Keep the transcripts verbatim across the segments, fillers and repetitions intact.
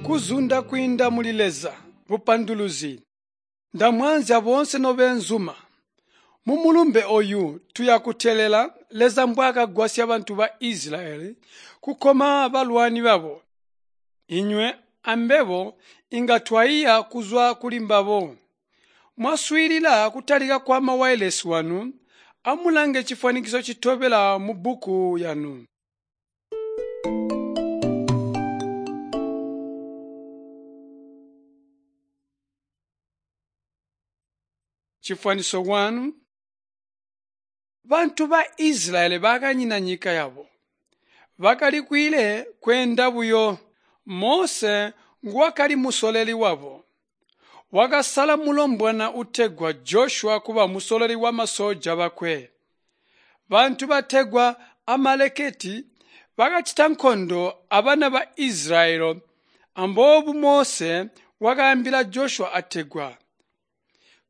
Kuzunda kwiinda muli Leza. Bupanduluzi. Ndamwaanzya boonse nobeenzuma. Mumulumbe oyu tuya kuteelela Leza mbwaakagwasya bantu ba Isilayeli kukoma balwani babo. Inywe ambebo inga twaiya kuzwa kuli mbabo. Mwaswiilila kutalika kwa mawailesi wanu, amulange cifwanikiso citobela mubbuku yanu. Chifwaniso one. Bantu ba Isilayeli bakanyina nyika yabo. Bakali kwiile kweenda buyo. Mose nguwakali musololi wabo. Wakasala mulombwana utegwa Joshua kuba musololi wamasoja bakwe. Bantu bategwa Amalekiti bakacita nkondo abana ba Isilayeli amboobu Mose wakaambila Joshua ategwa,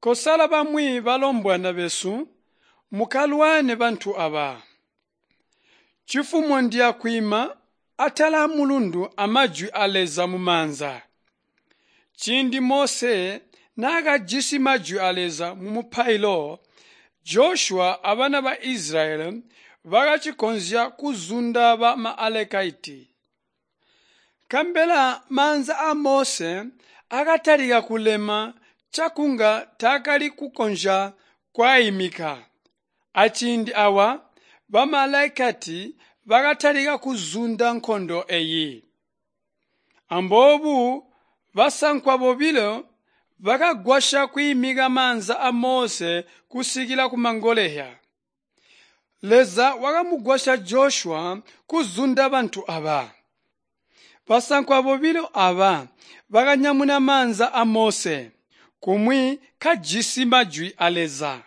"Kosala bamwi balombwana besu mukalwane bantu aba. Chifumo ndiya kwiima atala amulundu amajwi a Leza mumaanza." Ciindi Mose naakajisi majwi a Leza mumupailo, Joshua abana ba Isilayeli bakacikonzya kuzunda ba Amalekiti. Nkabela maanza a Mose akatalika kulema cakunga taakali kukonzya kwaimika. Aciindi awa Baamalekiti bakatalika kuzunda nkondo eyi. Amboobu basankwa bobilo bakagwasya kwiimika maanza a Mose kusikila kumangoleya. Leza wakamugwasya Joshua kuzunda bantu aba. Basankwa bobilo aba bakanyamuna maanza a Mose, kumwi kajisi majwi a Leza.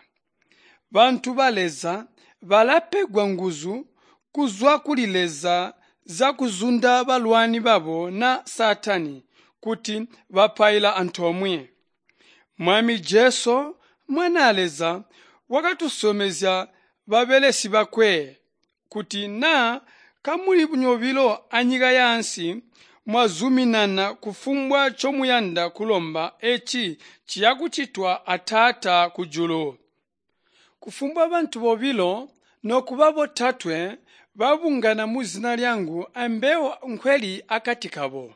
Bantu ba Leza balapegwa nguzu kuzwa kuli Leza zyakuzunda balwani babo na Saatani kuti bapaila antoomwe. Mwami Jesu, Mwanaa Leza, wakatusyomezya babelesi bakwe kuti naa kamuli nyobilo anyika yaansi mwazuminana kufumbwa ncomuyanda kulomba eci ciyakucitwa a Taata kujulu. Kufumbwa bantu bobilo nokuba botatwe babungana muzina lyangu ambebo nkweli akati kabo.